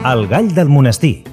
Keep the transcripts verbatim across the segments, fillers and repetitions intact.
El gall del monestir.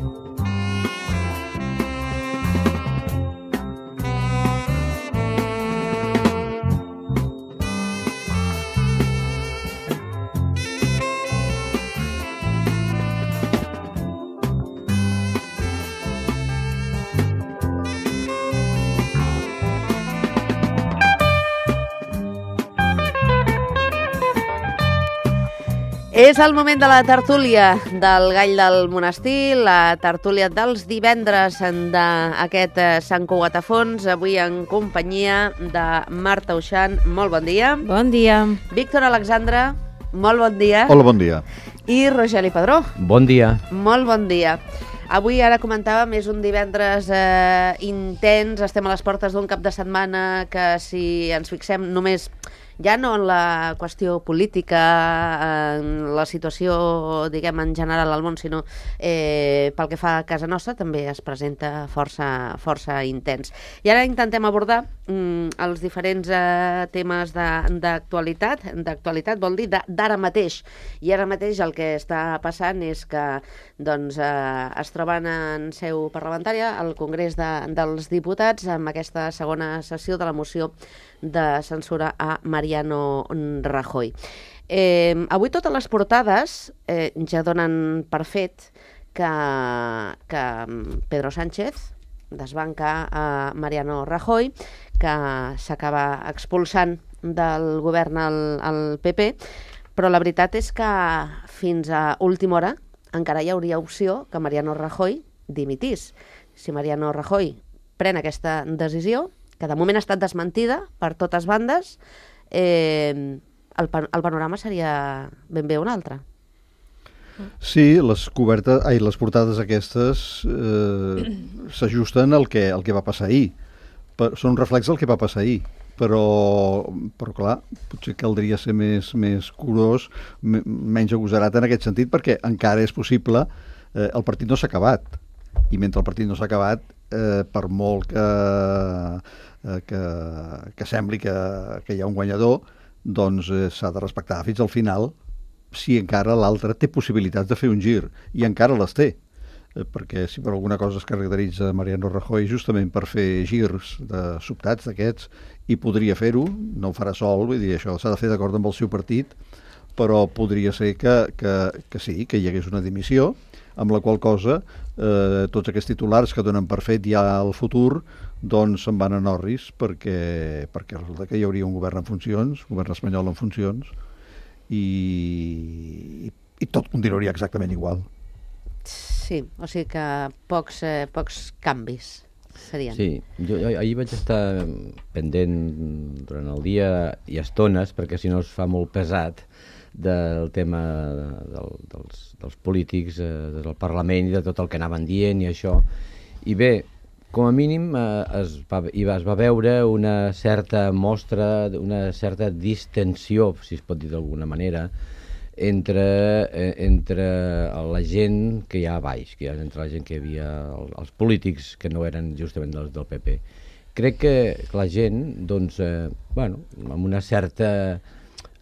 És el moment de la tertúlia del Gall del Monestir, la tertúlia dels divendres d'aquest Sant Cugat a Fons, avui en companyia de Marta Uixant. Molt bon dia. Bon dia. Víctor Alexandre, molt bon dia. Hola, bon dia. I Rogeli Padró. Bon dia. Molt bon dia. Avui, ara comentàvem, és un divendres eh, intens, estem a les portes d'un cap de setmana que, si ens fixem només ja no en la qüestió política, en la situació, diguem, en general al món, sinó eh, pel que fa a casa nostra, també es presenta força, força intens. I ara intentem abordar mm, els diferents eh, temes d'actualitat, d'actualitat vol dir d'ara mateix. I ara mateix el que està passant és que doncs, eh, es troben en seu parlamentària al Congrés de, dels Diputats amb aquesta segona sessió de la moció de censura a Mariano Rajoy. Eh, avui totes les portades eh, ja donen per fet que, que Pedro Sánchez desbanca a Mariano Rajoy, que s'acaba expulsant del govern al, al P P, però la veritat és que fins a última hora encara hi hauria opció que Mariano Rajoy dimitís. Si Mariano Rajoy pren aquesta decisió, que de moment ha estat desmentida per totes bandes, eh, el, pan el panorama seria ben bé un altre. Sí, les cobertes, ai, les portades aquestes eh, s'ajusten al que, al que va passar ahir. Per, són un reflex del que va passar ahir. Però, però clar, potser caldria ser més, més curós, menys agosarat en aquest sentit, perquè encara és possible, eh, el partit no s'ha acabat. I mentre el partit no s'ha acabat, eh, per molt que, eh, que, que sembli que, que hi ha un guanyador, doncs eh, s'ha de respectar fins al final si encara l'altre té possibilitats de fer un gir, i encara les té. Eh, perquè si per alguna cosa es caracteritza Mariano Rajoy justament per fer girs de sobtats d'aquests, i podria fer-ho, no ho farà sol, vull dir, això s'ha de fer d'acord amb el seu partit, però podria ser que, que, que sí, que hi hagués una dimissió, amb la qual cosa eh, tots aquests titulars que donen per fet ja al futur, doncs se'n van a Norris, perquè, perquè resulta que hi hauria un govern en funcions, un govern espanyol en funcions, i, i, i tot continuaria exactament igual. Sí, o sigui que pocs, eh, pocs canvis serien. Sí, jo, jo ahir vaig estar pendent durant el dia i estones, perquè si no es fa molt pesat, del tema del, dels, dels polítics, eh, del Parlament i de tot el que anaven dient i això. I bé, com a mínim eh, es, va, es va veure una certa mostra, una certa distensió, si es pot dir d'alguna manera, entre, eh, entre la gent que hi ha a baix, que hi ha entre la gent que hi havia, els polítics que no eren justament dels del P P. Crec que la gent, doncs, eh, bueno, amb una certa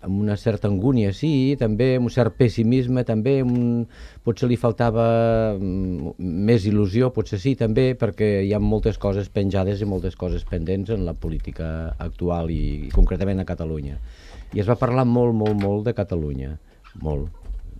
amb una certa angúnia, sí, també amb un cert pessimisme, també un, potser li faltava més il·lusió, potser sí, també, perquè hi ha moltes coses penjades i moltes coses pendents en la política actual i, i concretament a Catalunya. I es va parlar molt, molt, molt de Catalunya, molt.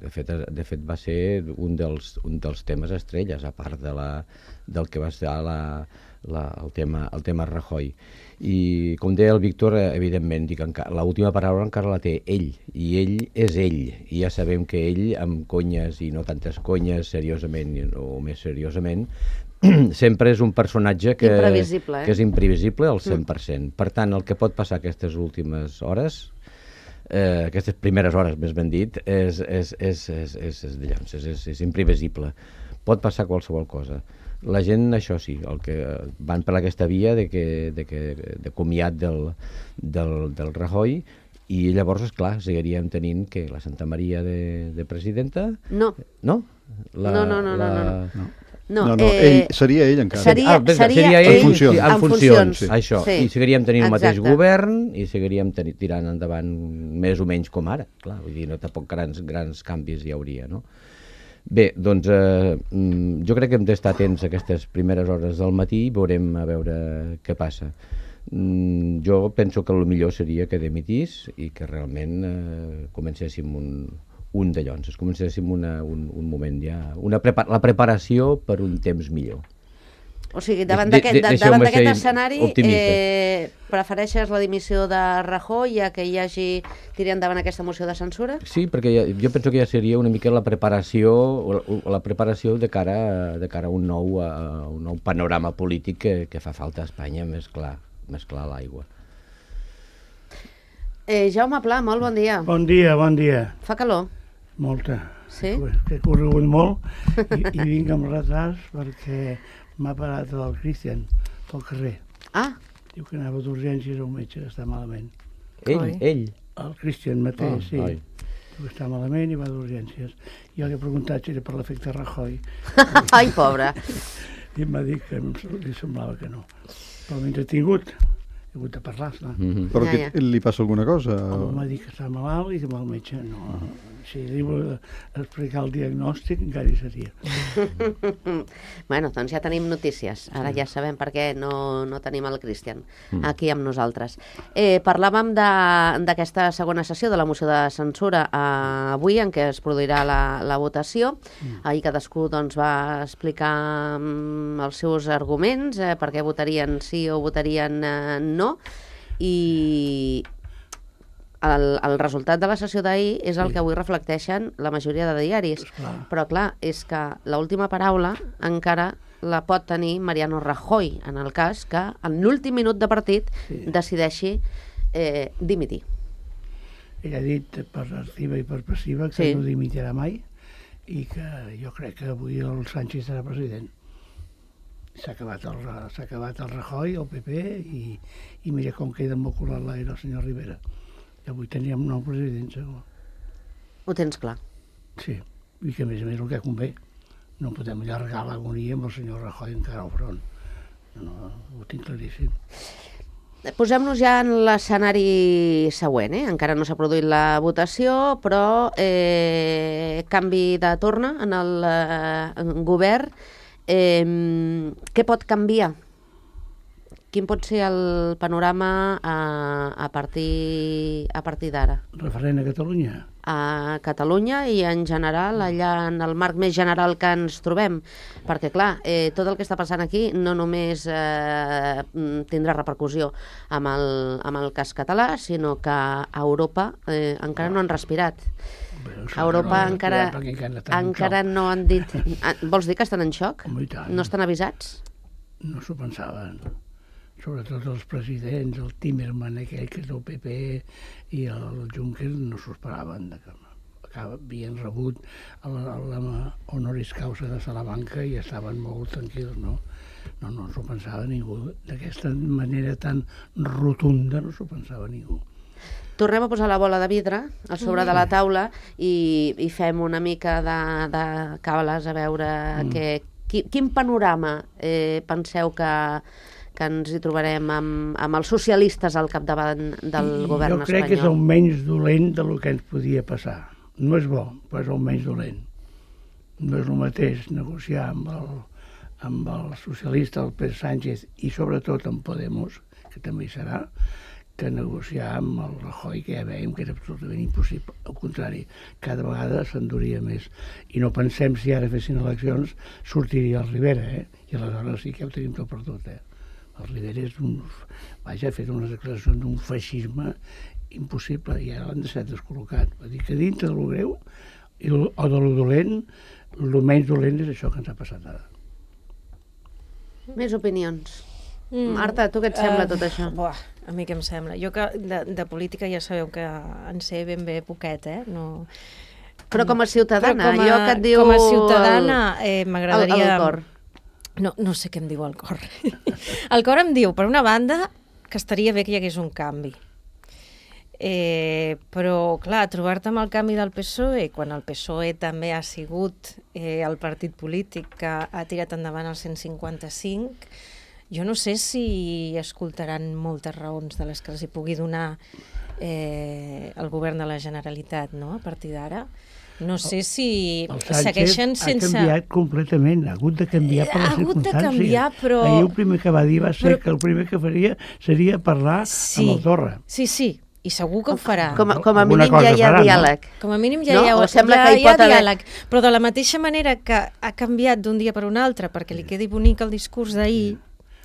De fet, de fet va ser un dels, un dels temes estrelles, a part de la, del que va ser la, la, el, tema, el tema Rajoy. I com deia el Víctor, evidentment, dic, l'última paraula encara la té ell, i ell és ell, i ja sabem que ell, amb conyes i no tantes conyes, seriosament o més seriosament, sempre és un personatge que, imprevisible, eh? que és imprevisible al cent per cent. Mm. Per tant, el que pot passar aquestes últimes hores, eh, aquestes primeres hores, més ben dit, és, és, és, és, és, és, és, és, és, és imprevisible. Pot passar qualsevol cosa. La gent, això sí, el que van per aquesta via de, que, de, que, de comiat del, del, del Rajoy, i llavors, esclar, seguiríem tenint que la Santa Maria de, de presidenta... No. No? La, no, no, no, la... no, no. no. No, no, no eh, ell, seria ell encara. Seria, ah, seria, seria ell en funcions. En funcions, funcions sí. Això. Sí. I seguiríem tenint el mateix Exacte. govern i seguiríem ten tirant endavant més o menys com ara. Clar, vull dir, no tampoc grans, grans canvis hi hauria, no? Bé, doncs eh, jo crec que hem d'estar atents a aquestes primeres hores del matí i veurem a veure què passa. Mm, jo penso que el millor seria que demitís i que realment eh, comencéssim un, un de llons, comencéssim una, un, un moment ja, una prepa la preparació per un temps millor. O sigui, davant De- de- d'aquest de- davant deixeu-me d'aquest ser escenari, optimista. eh, prefereixes la dimissió de Rajoy ja que hi hagi tirar endavant aquesta moció de censura? Sí, perquè ja, jo penso que ja seria una mica la preparació o la, o la preparació de cara, de cara a un nou, a un nou panorama polític que, que fa falta a Espanya més clar, més clar a l'aigua. Eh, Jaume Pla, molt bon dia. Bon dia, bon dia. Fa calor? Molta. Sí? Que he corregut molt i, i vinc amb retards perquè m'ha parat el Cristian pel carrer. Ah, Diu que anava d'urgències a un metge que està malament. Ell, Coi. ell. El Cristian mateix, Ah, sí. ai. Diu que està malament i va d'urgències. Jo li he preguntat si era per l'efecte Rajoy ai, pobre. i em va dir que em, li semblava que no. Però m'he entretingut. He hagut de parlar-ne. Mhm. Però Ja, que ja. li passa alguna cosa? Home m'ha dit que està malalt i que va al metge. No, si li vol explicar el diagnòstic encara hi seria. Bueno, doncs ja tenim notícies. Ara ja sabem per què no, no tenim el Cristian aquí amb nosaltres. Eh, parlàvem de- d'aquesta segona sessió de la moció de censura eh, avui, en què es produirà la, la votació. Ahir cadascú doncs, va explicar mm, els seus arguments, eh, per què votarien sí o votarien eh, no, i el, el resultat de la sessió d'ahir és el que avui reflecteixen la majoria de diaris. Esclar. Però clar, és que l'última paraula encara la pot tenir Mariano Rajoy, en el cas que en l'últim minut de partit Sí. decideixi eh, dimitir. Ell ha dit per activa i per passiva que Sí. no dimitirà mai i que jo crec que avui el Sánchez serà president. S'ha acabat, el, s'ha acabat el Rajoy, el P P, i, i mira com queda emboculat l'aire el senyor Rivera. I avui teníem un nou president, segur. Ho tens clar. Sí, i que a més a més el que convé. No podem allargar l'agonia amb el senyor Rajoy encara al front. No, ho tinc claríssim. Posem-nos ja en l'escenari següent, eh? Encara no s'ha produït la votació, però eh, canvi de torna en el eh, govern. Eh, què pot canviar? Quin pot ser el panorama a, a partir, a partir d'ara? Referent a Catalunya. A Catalunya i en general, allà en el marc més general que ens trobem. Perquè, clar, eh, tot el que està passant aquí no només eh, tindrà repercussió amb el, amb el cas català, sinó que a Europa eh, encara no han respirat. Bé, A Europa no, encara, perquè encara estan en encara xoc. no han dit... Ah, vols dir que estan en xoc? Home, i tant. No estan avisats? No s'ho pensaven. Sobretot els presidents, el Timerman aquell que és del P P i el Juncker no s'ho esperaven. De que havien rebut la, la honoris causa de Salamanca i estaven molt tranquils, no? No, no s'ho pensava ningú. D'aquesta manera tan rotunda no s'ho pensava ningú. Tornem a posar la bola de vidre a sobre de la taula i, i fem una mica de, de càbales a veure mm. que, qui, quin panorama eh, penseu que, que ens hi trobarem amb, amb els socialistes al capdavant del I govern jo crec espanyol. que és el menys dolent del que ens podia passar. No és bo, però és el menys dolent. No és el mateix negociar amb el, amb el socialista, el Pedro Sánchez, i sobretot amb Podemos, que també hi serà, que negociar amb el Rajoy, que ja veiem que era absolutament impossible. Al contrari, cada vegada s'enduria més. I no pensem si ara fessin eleccions sortiria el Rivera, eh? I aleshores sí que ho tenim tot per tot, eh? El Rivera és un... Vaja, ha fet unes declaracions d'un feixisme impossible i ara l'han deixat descol·locat. Vull dir que dintre de lo greu i lo, o de lo dolent, el menys dolent és això que ens ha passat ara. Més opinions. Mm. Marta, tu què et sembla Eh, tot això? Buah, a mi què em sembla? Jo que de, de política ja sabeu que en sé ben bé poquet, eh? No... Però com a ciutadana, Però com a, allò que et diu... Com a ciutadana eh, el, m'agradaria... el cor. No, no sé què em diu el cor. El cor em diu, per una banda, que estaria bé que hi hagués un canvi. Eh, però, clar, trobar-te amb el canvi del P S O E, quan el P S O E també ha sigut eh, el partit polític que ha tirat endavant el cent cinquanta-cinc, jo no sé si escoltaran moltes raons de les que els hi pugui donar eh, el govern de la Generalitat, no?, a partir d'ara. No sé si El Sánchez segueixen sense... ha canviat completament, ha hagut de canviar per les Ha hagut de circumstàncies. canviar, però- Ahir el primer que va dir va ser Però- que el primer que faria seria parlar Sí, amb el Torra. sí, sí, i segur que ho farà. Com, a- com a Alguna mínim ja cosa hi ha farà, no? diàleg. Com a mínim ja No? hi ha, O sembla ja, que hi hi ha pot haver- diàleg. Però de la mateixa manera que ha canviat d'un dia per un altre perquè li quedi bonic el discurs d'ahir,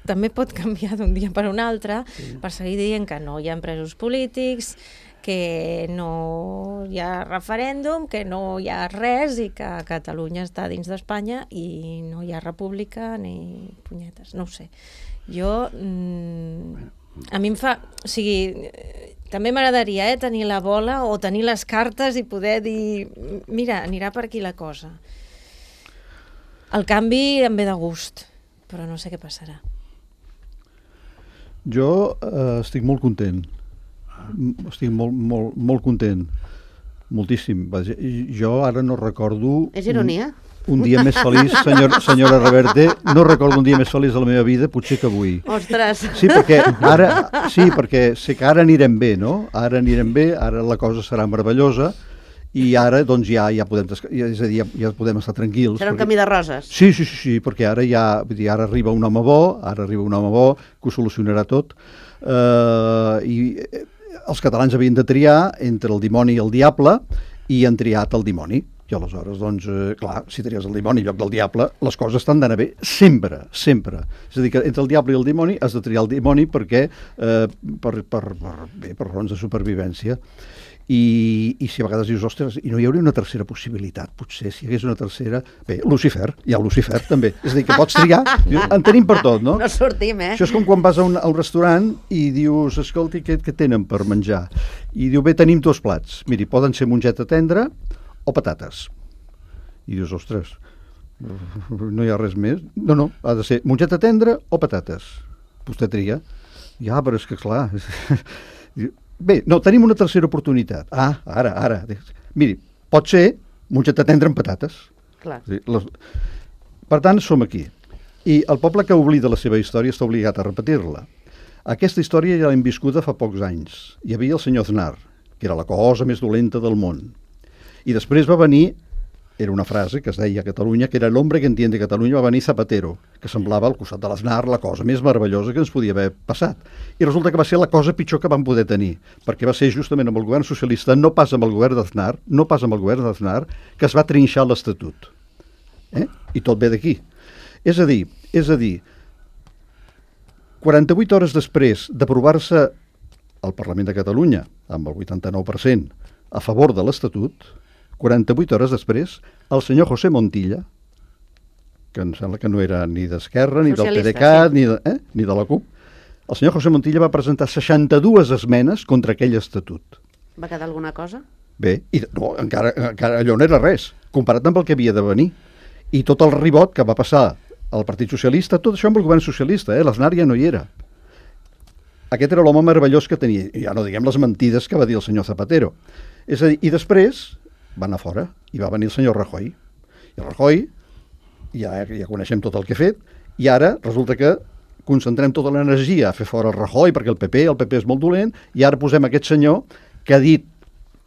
també pot canviar d'un dia per un altre per seguir dient que no hi ha presos polítics, que no hi ha referèndum, que no hi ha res i que Catalunya està dins d'Espanya i no hi ha república ni punyetes, no ho sé. Jo... Mm, a mi em fa... O sigui, eh, també m'agradaria eh, tenir la bola o tenir les cartes i poder dir mira, anirà per aquí la cosa. El canvi em ve de gust, però no sé què passarà. Jo eh, estic molt content. M- Estic molt, molt, molt content. Moltíssim. Vaja, i jo ara no recordo... És ironia? Un, un dia més feliç, senyor, senyora Reverte, no recordo un dia més feliç de la meva vida, potser que avui. Ostres! Sí, perquè ara, sí, perquè sé que ara anirem bé, no? Ara anirem bé, ara la cosa serà meravellosa i ara doncs ja ja podem, desca- ja, és a dir, ja, ja podem estar tranquils. Serà un perquè- camí de roses. Sí, sí, sí, sí, perquè ara ja, vull dir, ara arriba un home bo, ara arriba un home bo que ho solucionarà tot. Uh, I eh, els catalans havien de triar entre el dimoni i el diable i han triat el dimoni. I aleshores, doncs, eh, clar, si tries el dimoni en lloc del diable, les coses estan d'anar bé sempre, sempre. És a dir, que entre el diable i el dimoni has de triar el dimoni perquè, eh, per, per, per, bé, per raons de supervivència. I, i si a vegades dius, ostres, i no hi hauria una tercera possibilitat, potser, si hi hagués una tercera... Bé, Lucifer, hi ha Lucifer també. És a dir, que pots triar, en tenim per tot, no? No sortim, eh? Això és com quan vas a un, a un restaurant i dius, escolti, què, què tenen per menjar? I diu, bé, tenim dos plats. Miri, poden ser mongeta tendra o patates. I dius, ostres, no hi ha res més? No, no, ha de ser mongeta tendra o patates. Vostè tria. Ja, però és que clar... Bé, no, tenim una tercera oportunitat. Ah, ara, ara. Miri, pot ser mongeta tendra amb patates. Clar. Sí, les... Per tant, som aquí. I el poble que oblida la seva història està obligat a repetir-la. Aquesta història ja l'hem viscuda fa pocs anys. Hi havia el senyor Aznar, que era la cosa més dolenta del món. I després va venir, era una frase que es deia a Catalunya, que era l'hombre que entiende Catalunya, va venir Zapatero, que semblava al costat de l'Aznar la cosa més meravellosa que ens podia haver passat. I resulta que va ser la cosa pitjor que vam poder tenir, perquè va ser justament amb el govern socialista, no pas amb el govern d'Aznar, no pas amb el govern d'Aznar, que es va trinxar l'Estatut. Eh? I tot ve d'aquí. És a dir, és a dir, quaranta-vuit hores després d'aprovar-se al Parlament de Catalunya, amb el vuitanta-nou per cent a favor de l'Estatut, quaranta-vuit hores després, el senyor José Montilla, que em sembla que no era ni d'Esquerra, ni del Socialista, PDeCAT, sí. ni, de, eh? ni de la CUP, el senyor José Montilla va presentar seixanta-dues esmenes contra aquell estatut. Va quedar alguna cosa? Bé, i no, encara, encara allò no era res, comparat amb el que havia de venir. I tot el ribot que va passar al Partit Socialista, tot això amb el govern socialista, eh? l'Aznar ja no hi era. Aquest era l'home meravellós que tenia, i ja no diguem les mentides que va dir el senyor Zapatero. És a dir, i després va anar fora i va venir el senyor Rajoy. I el Rajoy, ja, ja coneixem tot el que ha fet, i ara resulta que concentrem tota l'energia a fer fora el Rajoy, perquè el P P, el P P és molt dolent, i ara posem aquest senyor que ha dit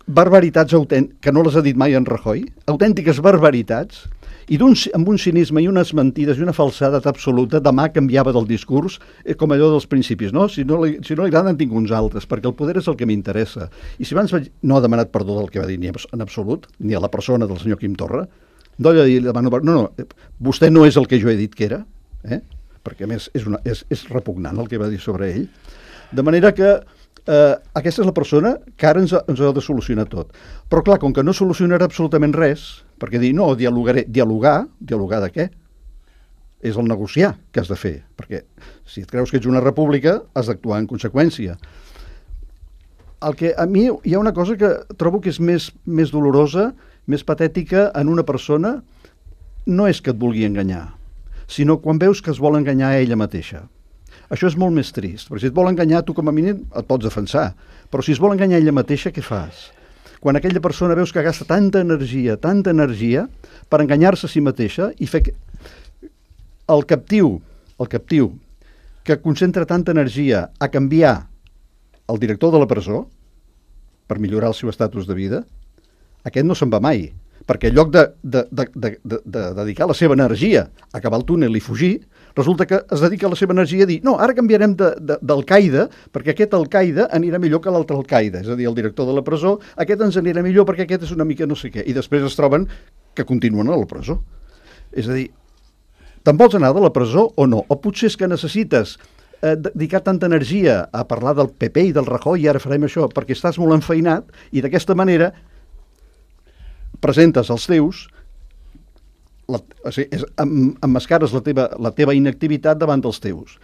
barbaritats autèntiques, que no les ha dit mai en Rajoy, autèntiques barbaritats, i un, amb un cinisme i unes mentides i una falsedat absoluta, demà canviava del discurs, eh, com allò dels principis, no? Si no li, si no li agraden tinc uns altres, perquè el poder és el que m'interessa. I si abans vaig, no ha demanat perdó del que va dir ni en absolut, ni a la persona del senyor Quim Torra, no li demano perdó, no, no, vostè no és el que jo he dit que era, eh? Perquè a més és, una, és, és repugnant el que va dir sobre ell. De manera que eh, aquesta és la persona que ara ens ha, ens ha de solucionar tot. Però clar, com que no solucionarà absolutament res, perquè dir, no, dialogaré, dialogar, dialogar de què? És el negociar que has de fer, perquè si et creus que ets una república, has d'actuar en conseqüència. El que a mi hi ha una cosa que trobo que és més, més dolorosa, més patètica en una persona, no és que et vulgui enganyar, sinó quan veus que es vol enganyar a ella mateixa. Això és molt més trist, perquè si et vol enganyar, tu com a mínim et pots defensar, però si es vol enganyar ella mateixa, què fas? Quan aquella persona veus que gasta tanta energia, tanta energia, per enganyar-se a si mateixa i fer que el captiu, el captiu, que concentra tanta energia a canviar el director de la presó per millorar el seu estatus de vida, aquest no se'n va mai. perquè en lloc de, de, de, de, de, de dedicar la seva energia a acabar el túnel i fugir, resulta que es dedica la seva energia a dir no, ara canviarem d'Al-Qaeda perquè aquest Al-Qaeda anirà millor que l'altre Al-Qaeda, és a dir, el director de la presó, aquest ens anirà millor perquè aquest és una mica no sé què, i després es troben que continuen a la presó. És a dir, te'n vols anar de la presó o no? O potser és que necessites eh, dedicar tanta energia a parlar del P P i del Rajoy i ara farem això perquè estàs molt enfeinat i d'aquesta manera presentes els teus, la, o sigui, és, em, emmascares la teva, la teva inactivitat davant dels teus,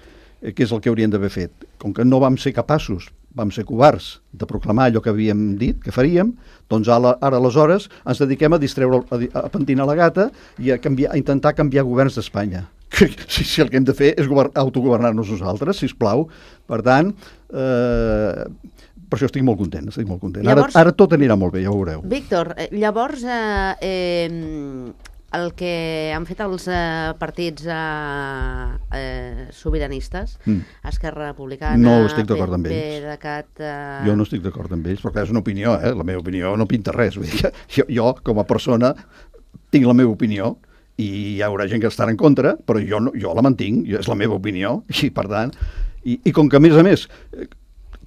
eh, que és el que haurien d'haver fet. Com que no vam ser capaços, vam ser covards de proclamar allò que havíem dit que faríem, doncs ara, ara aleshores ens dediquem a distreure, a, a pentinar la gata i a, canviar, a intentar canviar governs d'Espanya. Si, si el que hem de fer és autogovernar-nos nosaltres, sisplau. Per tant, eh, per això estic molt content, estic molt content. Llavors, ara, ara tot anirà molt bé, ja ho veureu. Víctor, llavors eh, eh, el que han fet els eh, partits eh, eh, sobiranistes, mm. Esquerra Republicana, no estic d'acord amb ells. PDeCAT... Eh... Jo no estic d'acord amb ells, però clar, és una opinió, eh? La meva opinió no pinta res. Vull dir que jo, jo, com a persona, tinc la meva opinió i hi haurà gent que estarà en contra, però jo, no, jo la mantinc, jo, és la meva opinió, i per tant... I, i com que, a més a més,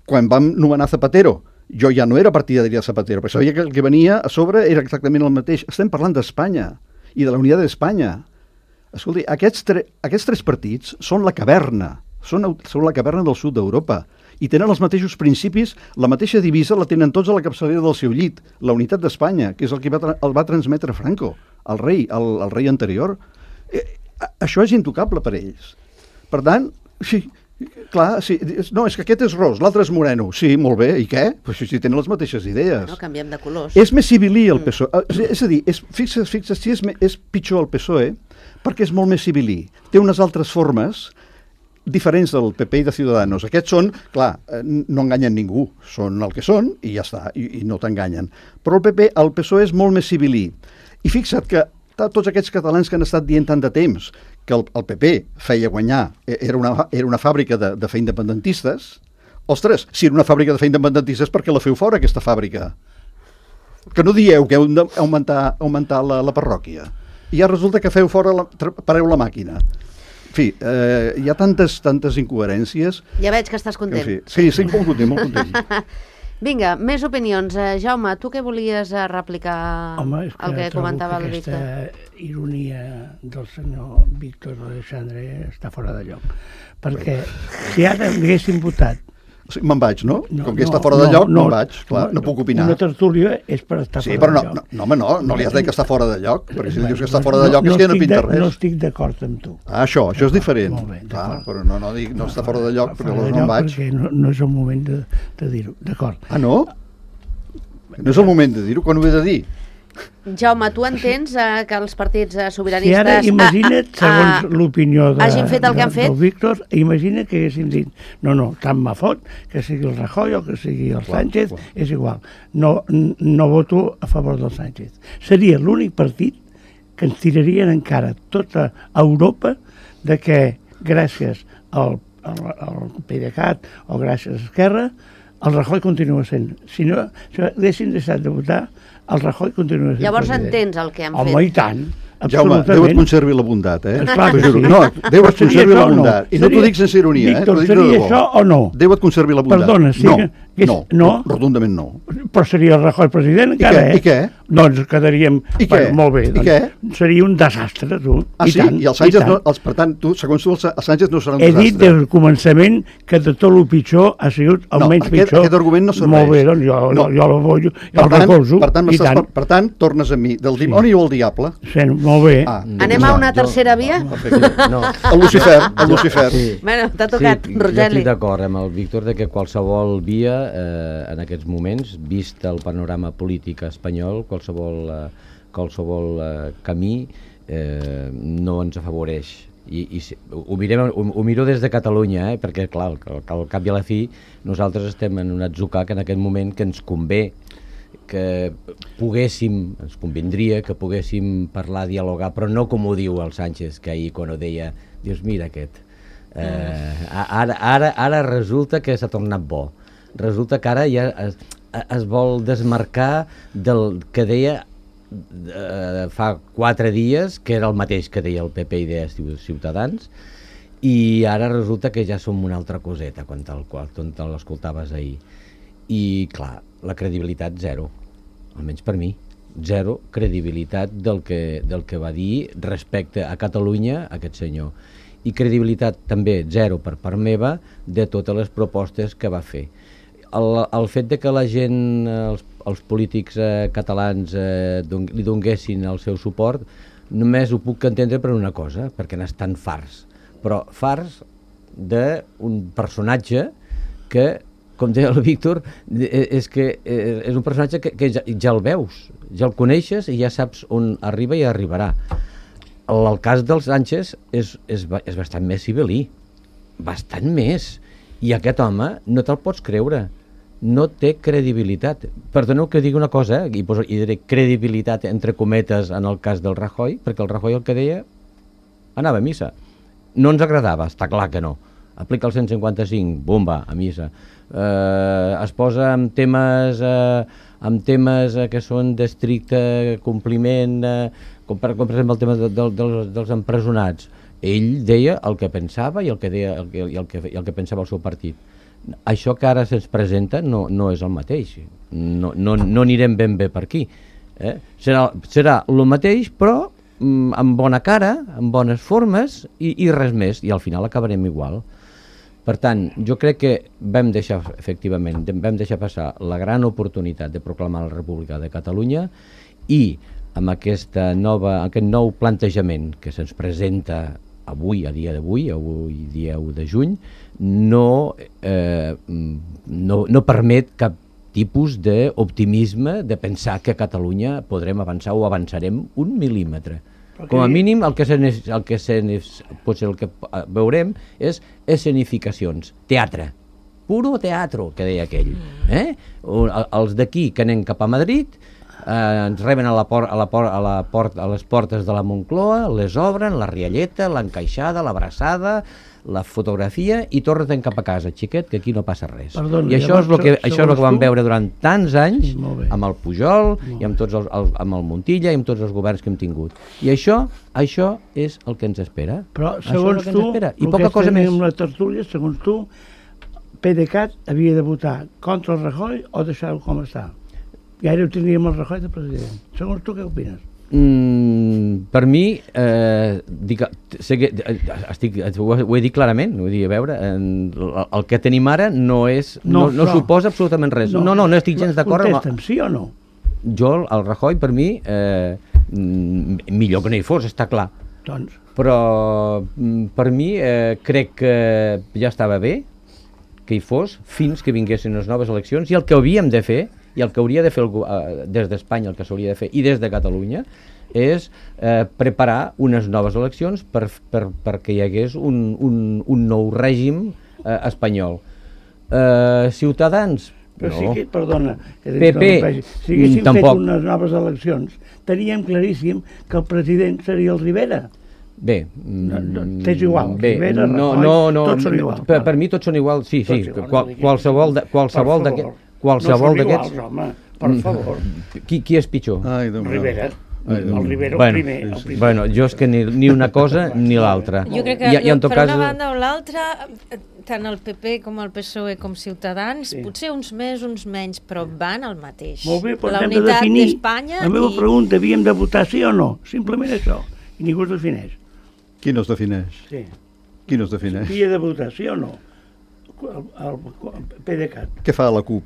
quan vam nomenar Zapatero, jo ja no era partidari de Zapatero, perquè sabia que el que venia a sobre era exactament el mateix. Estem parlant d'Espanya i de la Unitat d'Espanya. Escolti, aquests, tre aquests tres partits són la caverna, són, són la caverna del sud d'Europa i tenen els mateixos principis, la mateixa divisa la tenen tots a la capçalera del seu llit, la unitat d'Espanya, que és el que va, el va transmetre Franco, el rei, el, el rei anterior. Eh, això és intocable per ells. Per tant, sí, clar, sí, no, és que aquest és ros, l'altre és moreno. Sí, molt bé, i què? Pues si tenen les mateixes idees. No, canviem de colors. És més civilí el P S O E. Mm. És a dir, és, fixa't, fixa't, si és, és pitjor el P S O E perquè és molt més civilí. Té unes altres formes diferents del P P i de Ciudadanos. Aquests són, clar, no enganyen ningú, són el que són i ja està, i, i no t'enganyen. Però el P P, el P S O E és molt més civilí. I fixa't que tots aquests catalans que han estat dient tant de temps que el, el P P feia guanyar, era una, era una fàbrica de, de fer independentistes, ostres, si era una fàbrica de fer independentistes, per què la feu fora, aquesta fàbrica? Que no dieu que heu d'augmentar augmentar la, la parròquia. I ja resulta que feu fora, la, pareu la màquina. En fi, eh, hi ha tantes, tantes incoherències... Ja veig que estàs content. En fi, sí, estic molt content, molt content. Vinga, més opinions. Uh, Jaume, tu què volies uh, replicar Home, és que el que comentava que el Víctor? Aquesta ironia del senyor Víctor Alexandre està fora de lloc. Perquè si ara haguéssim votat... O sigui, me'n vaig, no? no Com que no, està fora no, de lloc, no, me'n vaig. Clar, no, no puc opinar. Una tertúlia és per estar sí, fora però no, de lloc. No, no, home, no, no li has dit que està fora de lloc, perquè si dius que està fora de lloc no, és que ja no pinta res. No estic d'acord amb tu. Ah, això, això és diferent. Molt bé, clar, però no, no, dic, no està fora de lloc, perquè aleshores no em vaig. Perquè no, no és el moment de, de dir-ho, d'acord. Ah, no? No és el moment de dir-ho, quan ho he de dir? Jaume, tu entens eh, que els partits eh, sobiranistes... Si ara imagina't, ah, segons ah, l'opinió de, hagin fet el que de, han fet? del Víctor, imagina que haguéssim dit no, no, tant me fot, que sigui el Rajoy o que sigui el clar, Sánchez, clar. És igual. No, no voto a favor del Sánchez. Seria l'únic partit que ens tirarien encara tota Europa de que gràcies al, al, al PDeCAT o gràcies a Esquerra el Rajoy continua sent. Si no, si haguessin deixat de votar, el Rajoy continua sent. Llavors president. Entens el que han Home, fet. Home, i tant. Jaume, Déu et conservi la bondat, eh? Esclar que sí. No, Déu et conservi la no? bondat. I no t'ho dic sense ironia, Víctor, eh? T'ho dic de seria debò. això o no? Déu et conservi la bondat. Perdona, sí. No, que és, no, no, rotundament no. Però seria el Rajoy president encara, I què? eh? I què? Doncs quedaríem... I què? Bueno, molt bé. I Doncs, què? seria un desastre, tu. Ah, I sí? tant, I el Sánchez i no... Els, per tant, tu, segons tu, el Sánchez no serà un He desastre. dit des del començament que de tot el pitjor ha sigut el no, menys aquest, pitjor. Aquest argument no serveix. Molt bé, doncs jo, no. jo, jo, jo, jo per el tant, recolzo. Per tant, I tant. per, per tant, tornes a mi. Del dimoni sí. o el diable? Sí, molt bé. Ah, Anem a una tercera jo, via? Perfecte. No. El Lucifer, el Lucifer. Sí. Bueno, t'ha tocat, sí, Rogeli. Jo estic d'acord amb el Víctor de que qualsevol via, eh, en aquests moments, vist el panorama polític espanyol, qualsevol, eh, qualsevol eh, camí eh, no ens afavoreix. I, i ho, mirem, ho, ho miro des de Catalunya, eh, perquè, clar, al, al cap i a la fi, nosaltres estem en un atzucac en aquest moment que ens convé que poguéssim, ens convindria que poguéssim parlar, dialogar, però no com ho diu el Sánchez, que ahir quan ho deia, dius, mira aquest, eh, ara, ara, ara resulta que s'ha tornat bo, resulta que ara ja es, es vol desmarcar del que deia eh, fa quatre dies que era el mateix que deia el P P i de Ciutadans, i ara resulta que ja som una altra coseta quan te'l te l'escoltaves ahir. I clar, la credibilitat zero, almenys per mi, zero credibilitat del que, del que va dir respecte a Catalunya aquest senyor. I credibilitat també zero per part meva de totes les propostes que va fer. El, el fet de que la gent, els, els polítics eh, catalans eh, don, li donguessin el seu suport, només ho puc entendre per una cosa, perquè n'estan farts. Però farts d'un personatge que, com deia el Víctor, és que és un personatge que, que ja, ja el veus, ja el coneixes i ja saps on arriba i arribarà. El cas dels Sánchez és, és, és bastant més civilí, bastant més, i aquest home no te'l pots creure, no té credibilitat. Perdoneu que digui una cosa, eh? I, poso, i diré credibilitat entre cometes en el cas del Rajoy, perquè el Rajoy el que deia anava a missa. No ens agradava, està clar que no. Aplica el cent cinquanta-cinc, bomba, a missa. Eh, es posa amb temes, eh, amb temes eh, que són d'estricte compliment, eh, com, per, com per exemple el tema de, de, dels, dels empresonats. Ell deia el que pensava i el que, deia, el que, i el que, i el que pensava el seu partit. Això que ara se'ns presenta no, no és el mateix. No, no, no anirem ben bé per aquí. Eh? Serà, serà el mateix, però amb bona cara, amb bones formes i, i res més, i al final acabarem igual. Per tant, jo crec que vam deixar, efectivament, vam deixar passar la gran oportunitat de proclamar la República de Catalunya i amb aquesta nova, aquest nou plantejament que se'ns presenta avui, a dia d'avui, avui dia u de juny, no, eh, no, no permet cap tipus d'optimisme de pensar que a Catalunya podrem avançar o avançarem un mil·límetre. Okay. Com a mínim el que, se, el que se, potser el que veurem és escenificacions, teatre, puro teatro, que deia aquell. Eh? Els d'aquí que anem cap a Madrid eh, ens reben a, la por, a, la por, a, la port, a les portes de la Moncloa, les obren, la rialleta, l'encaixada, l'abraçada, la fotografia i tornen cap a casa, xiquet, que aquí no passa res. Perdona, I això és el que, això és el que vam tu? veure durant tants anys Sí, amb el Pujol i amb, tots els, el, amb el Montilla i amb tots els governs que hem tingut. I això, això és el que ens espera. Però Això segons és el que tu, ens espera. I el poca que cosa més. amb la tertúlia, segons tu, PDeCAT havia de votar contra el Rajoy o deixar-ho com està? I ara ho tindríem el Rajoy de president. Segons tu, què opines? Mm, per mi eh, dic, sé que, estic, ho, ho he dit clarament, vull dir, a veure, el, el que tenim ara no és no, no, no suposa absolutament res. No, no, no, no estic gens d'acord amb... Contesta'm, sí o no? Jo, el Rajoy, per mi, eh, millor que no hi fos, està clar. Doncs... Però per mi eh, crec que ja estava bé que hi fos fins que vinguessin les noves eleccions, i el que havíem de fer i el que hauria de fer el, eh, des d'Espanya, el que s'hauria de fer, i des de Catalunya, és eh, preparar unes noves eleccions per, per, perquè hi hagués un, un, un nou règim eh, espanyol. Eh, Ciutadans, Però no. sí que, perdona, que P P, si haguéssim tampoc. fet unes noves eleccions, teníem claríssim que el president seria el Rivera. Bé, No, no, t'és igual, bé, Rivera, no, Rajoy, no, no, tots són iguals, per, clar. per mi tots són iguals, sí, sí, Tots iguals, qual, no diguis. qualsevol de, qualsevol Per d'aquests, favor. qualsevol No són d'aquests. iguals, home, per favor. Qui, qui és pitjor? Ai, Déu meu. Rivera. Ai, Déu El meu. Rivera, el Bueno, primer. El primer. Bueno, jo és que ni, ni una cosa ni l'altra. Jo crec que I, i en tot per cas, una banda o l'altra, tant el P P com el P S O E com Ciutadans, Sí. potser uns més, uns menys, però van al mateix. Molt bé, però la hem de unitat definir. d'Espanya La meva i... pregunta, havíem de votar sí o no? Simplement això. I ningú es defineix. Qui no es defineix? Sí. Qui no es defineix? Havia de votar sí o no? El, el, el PDeCAT. Què fa la CUP?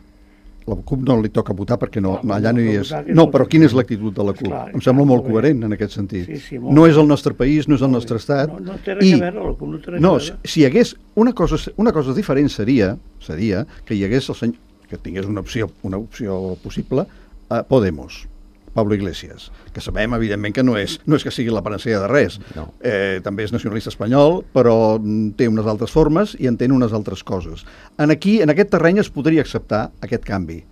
La CUP no li toca votar perquè no, Clar, allà no hi no és. votar, que No, no però votar. quina és l'actitud de la CUP? Esclar, Em sembla molt molt bé. coherent en aquest sentit. Sí, sí, molt No bé. és el nostre país, no és el Molt nostre bé. estat. No, no té res I- a veure, la CUP no té res No, a si, veure. si hi hagués una cosa, una cosa diferent seria, seria que hi hagués el senyor, que tingués una opció, una opció possible a Podemos, Pablo Iglesias, que sabem, evidentment, que no és, no és que sigui la panacea de res. No. Eh, també és nacionalista espanyol, però mm, té unes altres formes i entén unes altres coses. En aquí, en aquest terreny, es podria acceptar aquest canvi.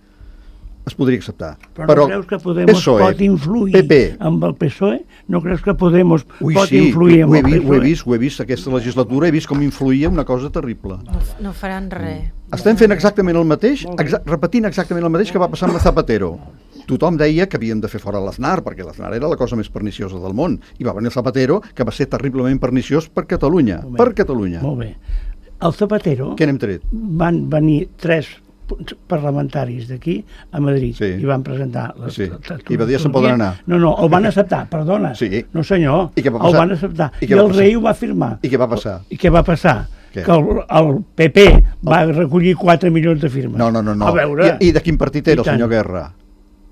Es podria acceptar. Però no creus que Podemos P S O E, pot influir P P, amb el P S O E? No creus que Podemos Ui, pot sí, influir amb ho he, el vist, ho he P S O E? vist, ho he vist aquesta legislatura, he vist com influïa una cosa terrible. No, no faran res. Estem fent exactament el mateix, Molt bé. exa repetint exactament el mateix que va passar amb la Zapatero. tothom deia que havíem de fer fora l'Aznar, perquè l'Aznar era la cosa més perniciosa del món, i va venir el Zapatero, que va ser terriblement perniciós per Catalunya, per Catalunya. Molt bé. El Zapatero... Què n'hem tret? Van venir tres parlamentaris d'aquí a Madrid sí. i van presentar... Les, sí. les, les, I va dir se'n poden anar. No, no, el van acceptar, perdona. Sí. No senyor, I què va el passar? van acceptar. I, I el rei ho va firmar. I què va passar? I què va passar? Què? Que el, el P P va recollir quatre milions de firmes. No, no, no. no. A veure... I, I de quin partit era el senyor Guerra?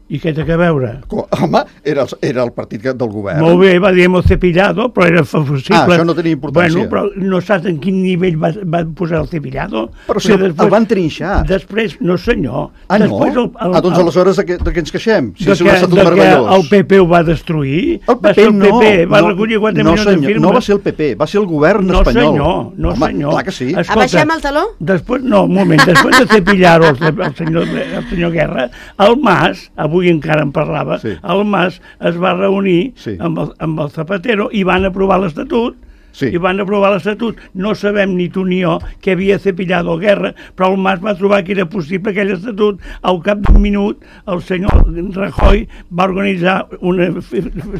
I què té que veure? Home, era el, era el partit del govern. Molt bé, va dir hemos cepillado, però era possible. Ah, això no tenia importància. Bueno, però no saps en quin nivell va, va posar el cepillado? Però si el, després, el van trinxar. Després, no senyor. Ah, no? El, el, ah, doncs aleshores de què, de què ens queixem? Si de és un estatut meravellós. El P P ho va destruir? El P P, va ser el no. P P, va no, recollir quatre no, milions senyor, de firmes. No va ser el P P, va ser el govern no, espanyol. Senyor, no Home, senyor. clar que sí. Escolta, abaixem el taló? Després, no, un moment, després de cepillar-ho el, el, senyor, el senyor Guerra, el Mas, avui encara en parlava, Sí. el Mas es va reunir sí. amb, el, amb el Zapatero i van aprovar l'Estatut sí. i van aprovar l'Estatut. No sabem ni tu ni jo que havia cepillado el Guerra, però el Mas va trobar que era possible aquell Estatut. Al cap d'un minut el senyor Rajoy va organitzar unes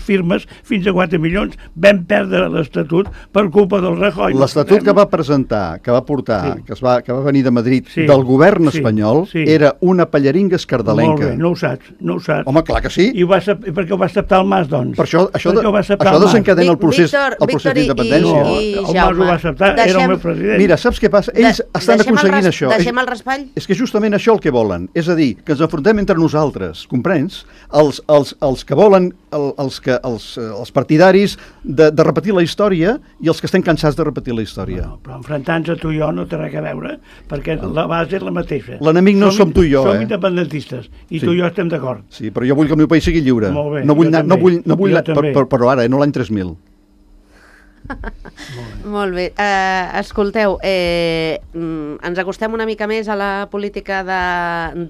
firmes fins a quatre milions. Vam perdre l'Estatut per culpa del Rajoy. L'Estatut que va presentar, que va portar, sí. que, es va, que va venir de Madrid, sí. del govern sí. espanyol, sí. era una pallaringa escardalenca. Molt bé, no ho saps, no ho saps. Home, clar que sí. I ho va, per què ho va acceptar el Mas, doncs? Per això, això, de, això el desencadena el procés, Víctor, el procés d'independència. No, el Mas ho va acceptar, deixem, era el meu president. Mira, saps què passa? Ells de, estan aconseguint el, això. Deixem el raspall? És que justament això el que volen. És a dir, que ens enfrontem entre nosaltres, comprens? Els, els, els que volen, el, els, que, els, els partidaris de, de repetir la història i els que estem cansats de repetir la història. No, però enfrontant-nos a tu i jo no té res a veure, perquè la base és la mateixa. L'enemic no som, som tu i jo, som eh? Som independentistes, i sí. tu i jo estem d'acord. Sí, però jo vull que el meu país sigui lliure. Molt bé, no vull, anar, no vull, no vull per, per, però ara, eh, no l'any tres mil. Molt bé. Uh, escolteu, eh, ens acostem una mica més a la política de,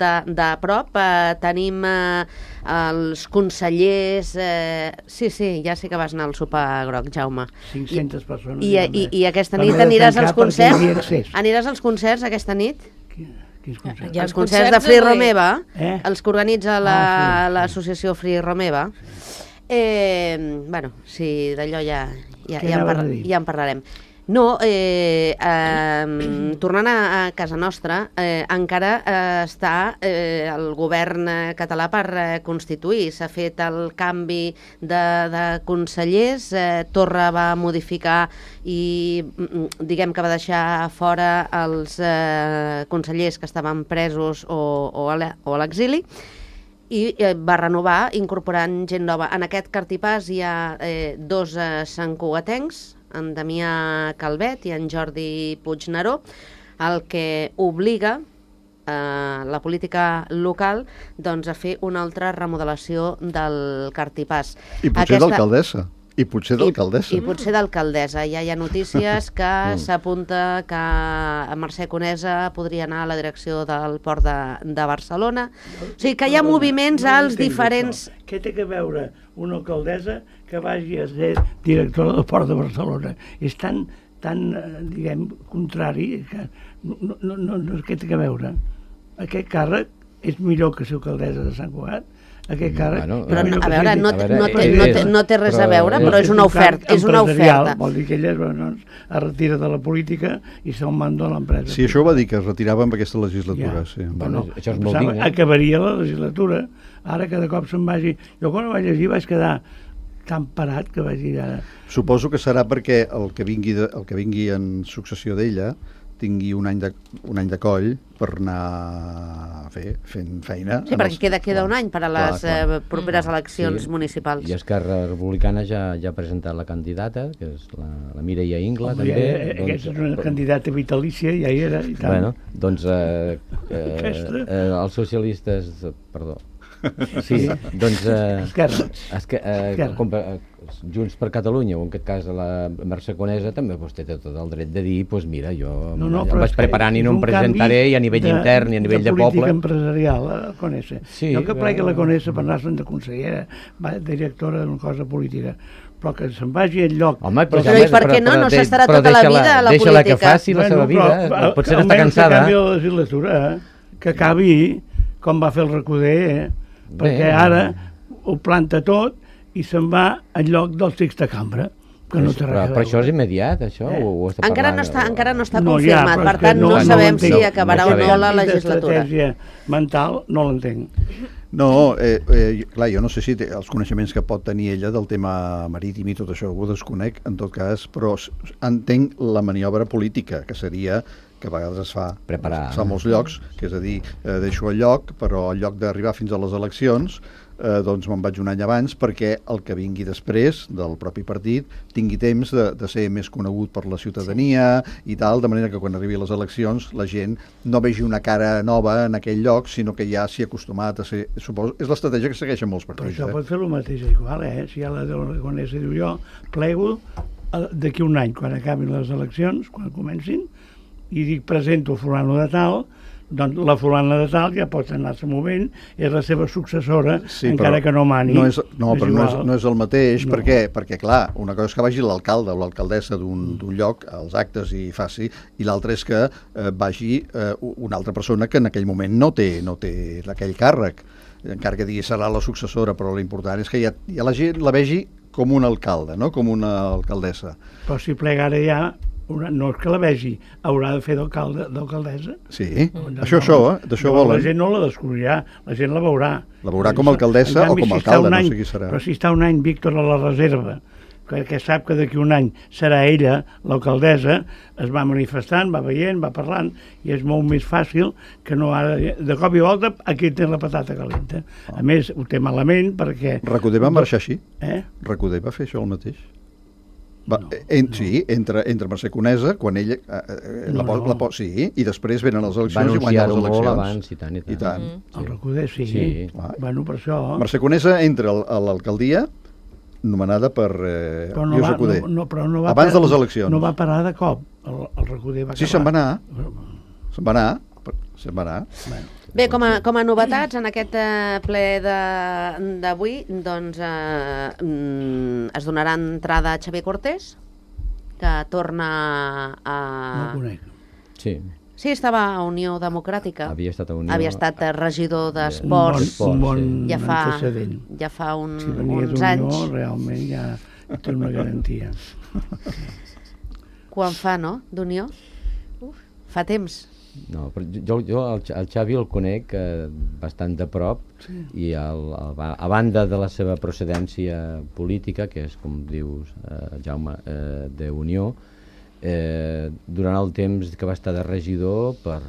de, de prop. Uh, tenim uh, els consellers... Uh, sí, sí, ja sé que vas anar al sopar groc, Jaume. cinc-centes persones. I, i, i aquesta nit aniràs als concerts? Aniràs als concerts aquesta nit? Quins concerts? Els concerts de Free Romeva, eh? els que organitza l'associació la, Free Romeva. Eh, bueno, sí, d'allò ja, ja, ja, en par ja en parlarem. No, eh, eh, tornant a, a casa nostra, eh, encara eh, està eh, el govern català per eh, constituir. S'ha fet el canvi de, de consellers, eh, Torra va modificar i diguem que va deixar fora els eh, consellers que estaven presos o, o a l'exili, i eh, va renovar incorporant gent nova. En aquest cartipàs hi ha eh, dos eh, santcugatencs, en Damià Calvet i en Jordi Puigneró, el que obliga eh, la política local doncs, a fer una altra remodelació del cartipàs. I potser Aquesta... d'alcaldessa. I potser d'alcaldessa. I, I potser d'alcaldessa. Ja hi ha notícies que s'apunta que Mercè Conesa podria anar a la direcció del port de, de Barcelona. O sigui que hi ha moviments no, no als diferents... Això. Què té que veure una alcaldessa que vagi a ser directora del port de Barcelona? És tan, tan diguem, contrari que no, no, no, no què té que veure. Aquest càrrec és millor que ser alcaldessa de Sant Cugat. Aquest càrrec... Bueno, però, no, a veure, no, no, té, no, té, no té res a veure, però és una oferta. És una oferta. Vol dir que ella bueno, es retira de la política i se'l manda a l'empresa. Sí, això ho va dir, que es retirava amb aquesta legislatura. Ja. Sí. Bueno, bueno, això és molt digne. Acabaria la legislatura. Ara cada cop se'n vagi... Jo quan ho vaig llegir vaig quedar tan parat que vaig dir ara... Suposo que serà perquè el que vingui, de, el que vingui en successió d'ella tingui un any de, un any de coll per anar a fer, fent feina. Sí, perquè els... queda, queda un any per a les clar, clar. Eh, properes eleccions sí. municipals. I Esquerra Republicana ja, ja ha presentat la candidata, que és la, la Mireia Ingla, Home, també. Ja, doncs, aquesta és una candidata vitalícia, ja hi era. I tant. Bueno, doncs eh, eh, eh, els socialistes... Perdó. Sí, doncs... Eh, Esquerra. Esque, eh, Esquerra. Com, eh, Junts per Catalunya, o en aquest cas la Mercè Conesa, també pues, té tot el dret de dir, doncs pues, mira, jo no, no, el vaig preparant i no em presentaré, i a nivell de, intern i a nivell de, de poble. De política empresarial, la Conesa. Sí, no que plegui la Conesa per anar-se'n de consellera, directora d'una cosa política, però que se'n vagi al lloc... Home, però, però i per què no? No s'estarà tota la vida a la política. Deixa-la que faci la seva vida, però, potser està cansada. Almenys que acabi la legislatura, que acabi com va fer el Recoder, eh? perquè ara ho planta tot i se'n va en lloc del sexta cambra. Que no té però, però això és immediat, això? Eh? O, o està Encara parlant, no està, o... encara no està No, confirmat, ja, per és que tant no, no- no sabem l'entenc. si acabarà No o no sabem. la legislatura. D'estratègia mental no l'entenc. No, eh, eh, clar, jo no sé si té els coneixements que pot tenir ella del tema marítim i tot això, ho desconec, en tot cas, però s- entenc la maniobra política, que seria que a vegades es fa, Preparar. es fa a molts llocs, que és a dir, eh, deixo el lloc, però al lloc d'arribar fins a les eleccions, eh, doncs me'n vaig un any abans perquè el que vingui després del propi partit tingui temps de, de ser més conegut per la ciutadania i tal, de manera que quan arribi a les eleccions la gent no vegi una cara nova en aquell lloc, sinó que ja s'hi ha acostumat a ser... Suposo, és l'estratègia que segueixen molts Però partits. això Eh? pot fer el mateix igual, eh? Si ja la Aragonesa diu jo, plego eh, d'aquí un any, quan acabin les eleccions, quan comencin, i dic presento fulano de tal, doncs la fulana de tal ja pot anar-se movent, és la seva successora, Sí, encara però que no mani. No, és, no però no és, igual. no és el mateix, No. no. perquè, perquè clar, una cosa és que vagi l'alcalde o l'alcaldessa d'un d'un lloc als actes i faci, i l'altra és que eh, vagi eh, una altra persona que en aquell moment no té, no té aquell càrrec, encara que digui serà la successora, però l'important és que ja, ja la gent la vegi com un alcalde, no? Com una alcaldessa. Però si plega ara ja, una, no és que la vegi, haurà de fer d'alcalde, d'alcaldessa. Sí, No, això, això, eh? d'això no, volen. La gent no la descobrirà, la gent la veurà. La veurà com a alcaldessa En canvi, o com a si està alcalde, un no any, sé qui serà. Però si està un any Víctor a la reserva, que, que sap que d'aquí un any serà ella, l'alcaldessa, es va manifestant, va veient, va parlant, i és molt més fàcil que no ara, de cop i volta, aquí té la patata calenta. A més, ho té malament perquè... Recoder va marxar així? Eh? Recoder va fer això el mateix? Va, no, en, no. Sí, entre, entre Mercè Conesa, quan ella... Eh, eh, No, la, po- no. la, po- sí, i després venen les Va eleccions i guanyen anunciar-ho les molt eleccions. abans, i tant, i tant. I tant. Mm. El Recoder, sí. Sí. Ah. Bueno, per això... Mercè Conesa entra al- a l'alcaldia nomenada per eh, Però no Lluís va, Recoder. no, no, però no va Abans par- de les eleccions. No va parar de cop. El, el Recoder va Sí, acabar. se'n va anar. Se'n va anar. Se'n va anar. Bueno, Bé, com a, com a novetats, en aquest eh, ple de- d'avui, doncs eh, mm, es donarà entrada a Xavier Cortés, que torna a... no ho conec. Sí, Sí, estava a Unió Democràtica. havia estat a Unió... Havia estat eh, regidor Un bon, d'Esports Esports, un bon sí. ja fa, antecedent. ja fa un, Si venia uns d'Unió, anys. realment ja té una garantia. Quan fa, no?, d'Unió? Fa temps. No, però jo, jo el, Xa- el Xavi el conec eh, bastant de prop sí. i el, el, a banda de la seva procedència política, que és, com dius, eh, Jaume, eh, d'Unió, eh, durant el temps que va estar de regidor, per,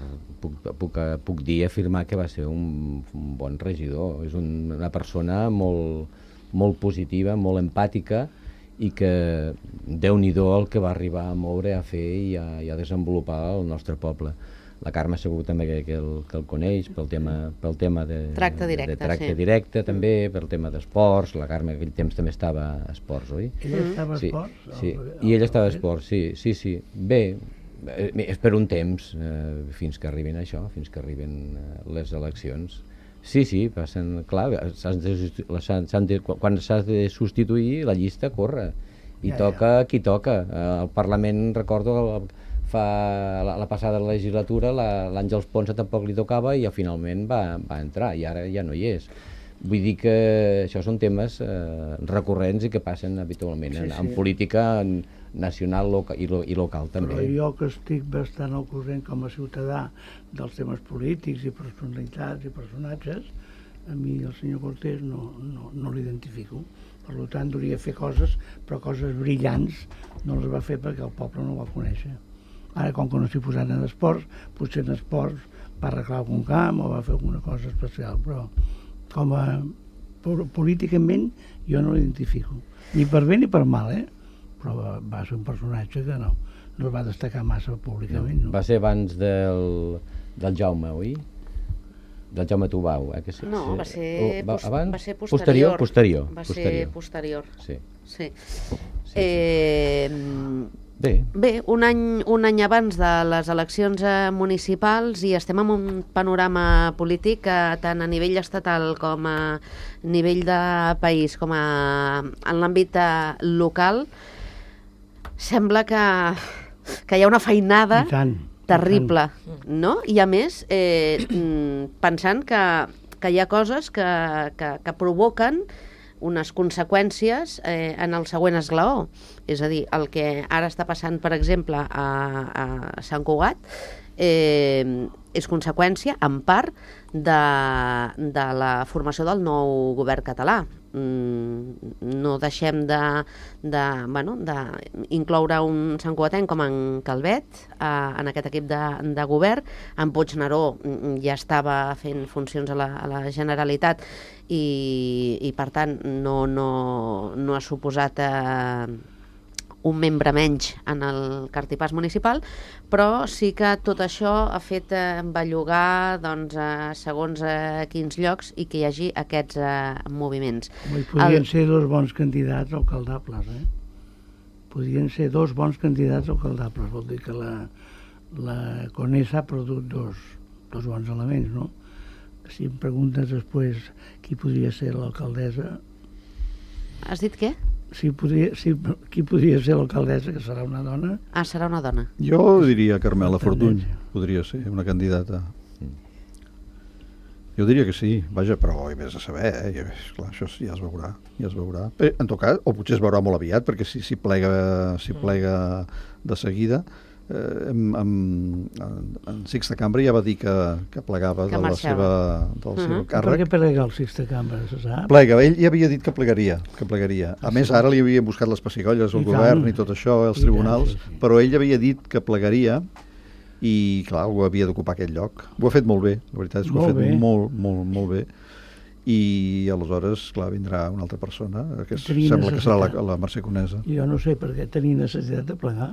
puc, puc, puc dir, afirmar que va ser un, un bon regidor. És un, una persona molt, molt positiva, molt empàtica, i que Déu-n'hi-do el que va arribar a moure, a fer i a, i a desenvolupar el nostre poble. La Carme segur també que, que, el, que el coneix pel tema, pel tema de Tracte directe, de, de tracte sí. directe també, pel tema d'esports. La Carme aquell temps també estava a esports, oi? Ella estava a Sí, esports? sí. El- I ella estava a el- esports, sí, sí, sí. Bé, eh, és per un temps, eh, fins que arribin això, fins que arriben eh, les eleccions. Sí, sí, passen, clar, s'han de, substitu- la- s'han- s'han de, quan s'ha de substituir, la llista corre. I Ja, toca qui toca. Eh, El Parlament, recordo, el, fa la, la passada legislatura la- l'Àngels Ponsa tampoc li tocava i ja finalment va, va entrar i ara ja no hi és. Vull dir que això són temes eh, recurrents i que passen habitualment Sí, en, sí. en política nacional loca, i, lo, i local també. Però jo que estic bastant al corrent com a ciutadà dels temes polítics i personalitats i personatges, a mi el senyor Cortés no, no, no l'identifico. Per tant, hauria de fer coses, però coses brillants no les va fer perquè el poble no ho va conèixer. Ara, com que no s'hi posat en esports, potser en esports va arreglar algun camp o va fer alguna cosa especial, però com a po- políticament jo no l'identifico. Ni per bé ni per mal, eh? Però va, va ser un personatge que no, no es va destacar massa públicament. No? Va ser abans del, del Jaume, oi? Del Jaume Tubau, eh? Que sí, No, sí. va ser, O va, pos- abans? va ser posterior. posterior. Posterior. Va posterior. ser posterior. Sí. Sí. sí. Eh, Bé, Bé, un any, un any abans de les eleccions eh, municipals i estem en un panorama polític que tant a nivell estatal com a nivell de país com a, en l'àmbit eh, local sembla que, que hi ha una feinada I tant, i terrible, no? I a més, eh, mm, pensant que que hi ha coses que, que, que provoquen unes conseqüències eh, en el següent esglaó. És a dir, el que ara està passant, per exemple, a, a Sant Cugat, eh, és conseqüència, en part, de, de la formació del nou govern català. Mm, no deixem de, de, bueno, d'incloure un santcugatenc com en Calvet eh, en aquest equip de, de govern. En Puigneró ja estava fent funcions a la, a la Generalitat i, i per tant no, no, no ha suposat eh, un membre menys en el cartipàs municipal, però sí que tot això ha fet eh, bellugar doncs, eh, segons eh, quins llocs i que hi hagi aquests eh, moviments. Home, podrien El... ser dos bons candidats alcaldables, eh? Podrien ser dos bons candidats alcaldables, vol dir que la, la Conesa ha produït dos, dos bons elements, no? Si em preguntes després qui podria ser l'alcaldessa... Has dit què? Si podria, si, qui podria ser l'alcaldessa, que serà una dona? Ah, serà una dona. Jo diria Carmela Fortuny, Tendència. podria ser una candidata. Jo diria que sí, vaja, però hi vés a saber, eh? I, esclar, això ja es veurà, ja es veurà. Però, en tot cas, o potser es veurà molt aviat, perquè si, si, plega, si plega de seguida, eh, en, en, en Sixta Cambra ja va dir que, que plegava Que de la marxava. seva, del Uh-huh. seu Per càrrec. què plega el Sixta Cambra, se sap? Plega, ell ja havia dit que plegaria, que plegaria. A Ah, més, sí? ara li havien buscat les pessigolles al I govern tant. i tot això, els I tribunals, tant, sí, sí. però ell havia dit que plegaria i, clar, algú havia d'ocupar aquest lloc. Ho ha fet molt bé, la veritat és que ho ha Molt fet bé. molt, molt, molt bé. I aleshores, clar, vindrà una altra persona, que es- Tenia sembla que serà la, necessitat. la Mercè Conesa. Jo no sé per què tenia necessitat de plegar.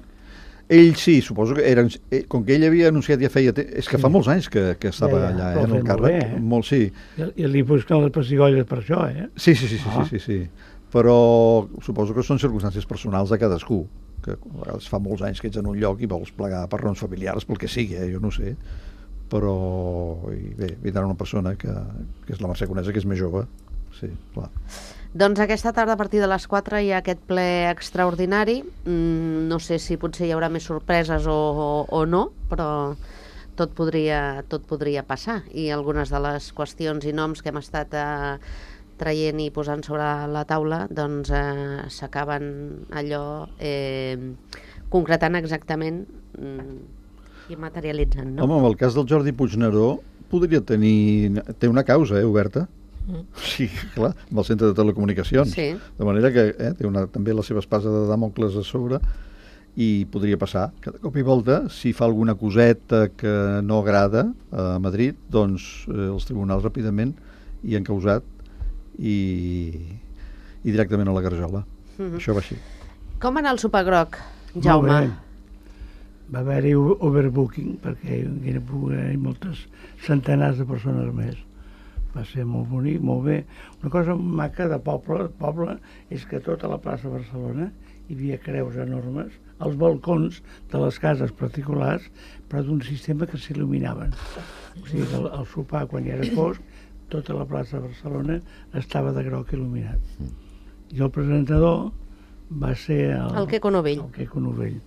Ell sí, suposo que era, eh, com que ell havia anunciat ja feia... Te... És que Sí. fa molts anys que, que estava Ja, ja, allà, però eh, en ha el fet molt càrrec. bé, eh? Molt, sí. I, i li busquen les pessigolles per això, eh? Sí, sí, sí, sí, Ah. sí, sí, sí. Però suposo que són circumstàncies personals de cadascú, que a vegades fa molts anys que ets en un lloc i vols plegar per raons familiars, pel que sigui, eh? Jo no sé. Però i bé, vindrà una persona que, que és la Mercè Conesa, que és més jove. Sí, clar. Doncs aquesta tarda a partir de les quatre hi ha aquest ple extraordinari. Mm, no sé si potser hi haurà més sorpreses o, o, o no, però tot podria, tot podria passar. I algunes de les qüestions i noms que hem estat eh, traient i posant sobre la taula doncs eh, s'acaben allò eh, concretant exactament mm, i materialitzant, no? Home, en el cas del Jordi Puigneró podria tenir... Té una causa, eh, oberta. Sí, clar, amb el centre de telecomunicacions. Sí. De manera que eh, té una, també la seva espasa de Dàmocles a sobre i podria passar. Que de cop i volta, si fa alguna coseta que no agrada a Madrid, doncs eh, els tribunals ràpidament hi han causat i, i directament a la garjola. Mhm. Això va així. Com va anar el sopar groc, Jaume? Molt bé. Va haver-hi o- overbooking, perquè hi era haver moltes centenars de persones més. Va ser molt bonic, molt bé. Una cosa maca de poble, poble és que a tota la plaça de Barcelona hi havia creus enormes, als balcons de les cases particulars, però d'un sistema que s'il·luminaven. O sigui que el, el sopar, quan hi era fosc, tota la plaça de Barcelona estava de groc il·luminat. I el presentador va ser el, El Queco Novell. el Queco Novell,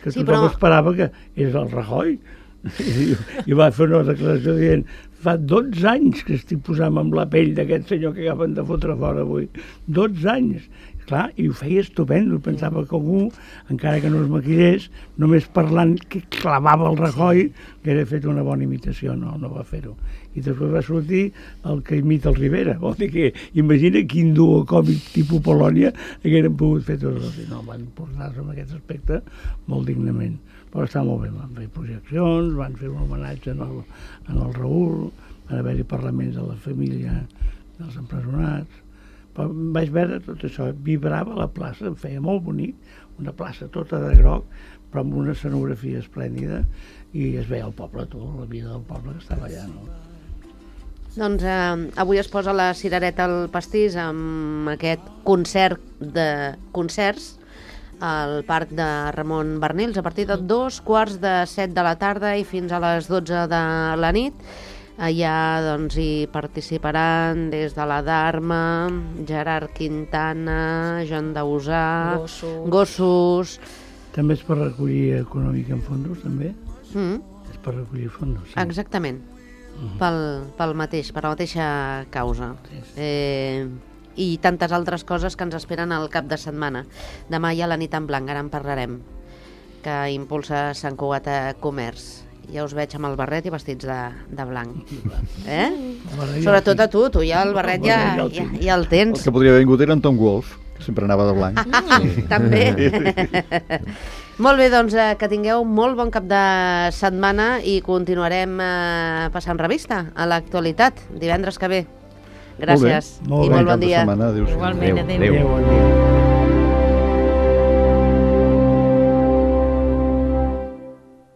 que Sí, tothom però- esperava que és el Rajoy. I, i va fer una declaració dient fa dotze anys que estic posant amb la pell d'aquest senyor que acaben de fotre fora avui. dotze anys. Clar, i ho feia estupendo. Pensava que algú, encara que no es maquillés, només parlant que clavava el Rajoy, que era fet una bona imitació. No, no va fer-ho. I després va sortir el que imita el Rivera. Vol dir que, imagina quin duo còmic tipus Polònia hagueren pogut fer tots dos. I no, van portar-se en aquest aspecte molt dignament. Però està molt bé, van fer projeccions, van fer un homenatge en el, en el Raül, van haver-hi parlaments de la família dels empresonats. Però vaig veure tot això, vibrava la plaça, em feia molt bonic, una plaça tota de groc, però amb una escenografia esplèndida, i es veia el poble, tot, la vida del poble que estava allà, no? Doncs eh, avui es posa la cirereta al pastís amb aquest concert de concerts al Parc de Ramon Barnils a partir de dos quarts de set de la tarda i fins a les dotze de la nit. Allà doncs, hi participaran des de la Dharma, Gerard Quintana, Joan Dausà, Gossos. Gossos. També és per recollir econòmic en fondos, també? Mm, És per recollir fondos, sí. exactament. pel, pel mateix, per la mateixa causa. Eh, I tantes altres coses que ens esperen al cap de setmana. Demà hi ha la nit en blanc, ara en parlarem, que impulsa Sant Cugat a Comerç. Ja us veig amb el barret i vestits de, de blanc. Eh? Sobretot a tu, tu ja el barret ja, ja, ja el tens. El que podria haver vingut era en Tom Wolf, que sempre anava de blanc. Sí. També. Molt bé, doncs eh, que tingueu molt bon cap de setmana i continuarem eh, passant revista a l'actualitat divendres que ve. Gràcies Molt bé. i molt bon Cap de dia. setmana, adéu-siau. Igualment, Adéu, adéu. adéu. Adéu, bon dia.